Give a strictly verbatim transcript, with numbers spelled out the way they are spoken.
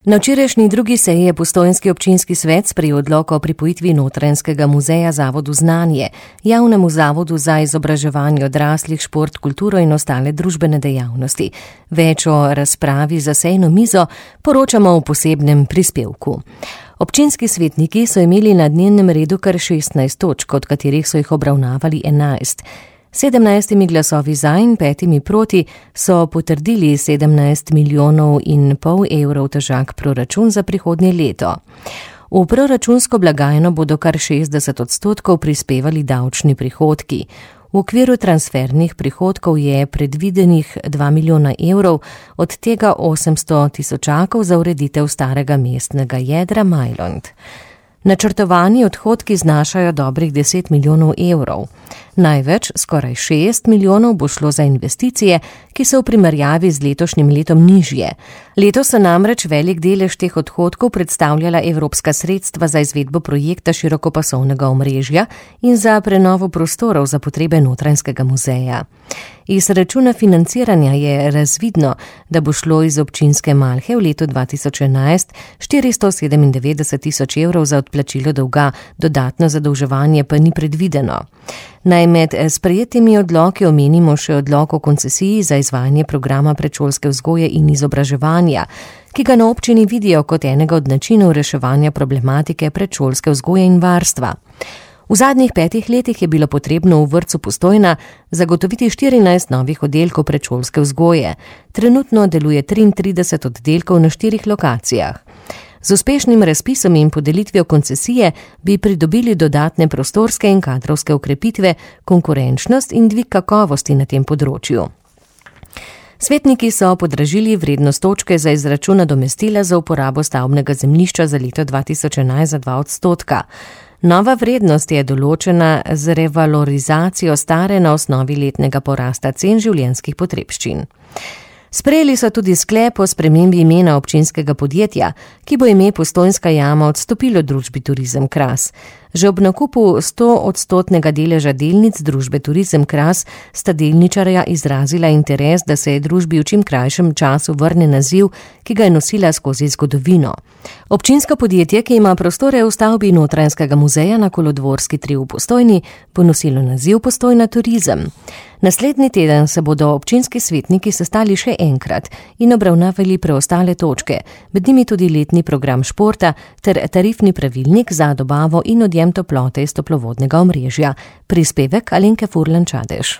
Na včerajšnji drugi seji je postojnski občinski svet sprejel odlok o pripojitvi Notranjskega muzeja Zavodu Znanje, javnemu zavodu za izobraževanje odraslih, šport, kulturo in ostale družbene dejavnosti. Več o razpravi za sejno mizo poročamo v posebnem prispevku. Občinski svetniki so imeli na dnevnem redu kar šestnajst točk, od katerih so jih obravnavali enajst. sedemnajstimi glasovi za in petimi proti so potrdili sedemnajst milijonov in pol evrov težak proračun za prihodnje leto. V proračunsko blagajno bodo kar šestdeset odstotkov prispevali davčni prihodki. V okviru transfernih prihodkov je predvidenih dva milijona evrov, od tega osemsto tisočakov za ureditev starega mestnega jedra Majlont. Načrtovani odhodki znašajo dobrih deset milijonov evrov. Največ, skoraj šest milijonov, bo šlo za investicije, ki so v primerjavi z letošnjim letom nižje. Letos so namreč velik delež teh odhodkov predstavljala evropska sredstva za izvedbo projekta širokopasovnega omrežja in za prenovo prostorov za potrebe Notranjskega muzeja. Iz računa financiranja je razvidno, da bo šlo iz občinske malhe v letu dva tisoč enajst štiristo sedemindevetdeset tisoč evrov za odplačilo dolga, dodatno zadolževanje pa ni predvideno. Naj med sprejetimi odloki omenimo še odlok o koncesiji za izvajanje programa predšolske vzgoje in izobraževanja, ki ga na občini vidijo kot enega od načinov reševanja problematike predšolske vzgoje in varstva. V zadnjih petih letih je bilo potrebno v vrtcu Postojna zagotoviti štirinajst novih oddelkov predšolske vzgoje. Trenutno deluje triintrideset oddelkov na štirih lokacijah. Z uspešnim razpisom in podelitvijo koncesije bi pridobili dodatne prostorske in kadrovske okrepitve, konkurenčnost in dvig kakovosti na tem področju. Svetniki so podražili vrednost točke za izračun nadomestila za uporabo stavbnega zemljišča za leto dva tisoč enajst za dva odstotka. Nova vrednost je določena z revalorizacijo stare na osnovi letnega porasta cen življenjskih potrebščin. Sprejeli so tudi sklep o spremembi imena občinskega podjetja, ki bo ime Postojnska jama odstopilo družbi Turizem Kras. Že ob nakupu sto odstotnega deleža delnic družbe Turizem Kras sta delničarja izrazila interes, da se je družbi v čim krajšem času vrne naziv, ki ga je nosila skozi zgodovino. Občinsko podjetje, ki ima prostore v stavbi Notranjskega muzeja na Kolodvorski tri v Postojni, bo nosilo naziv Postojna Turizem. Naslednji teden se bodo občinski svetniki sestali še enkrat in obravnavali preostale točke, med njimi tudi letni program športa ter tarifni pravilnik za dobavo in odjem toplote iz toplovodnega omrežja. Prispevek Alenke Furlan Čadež.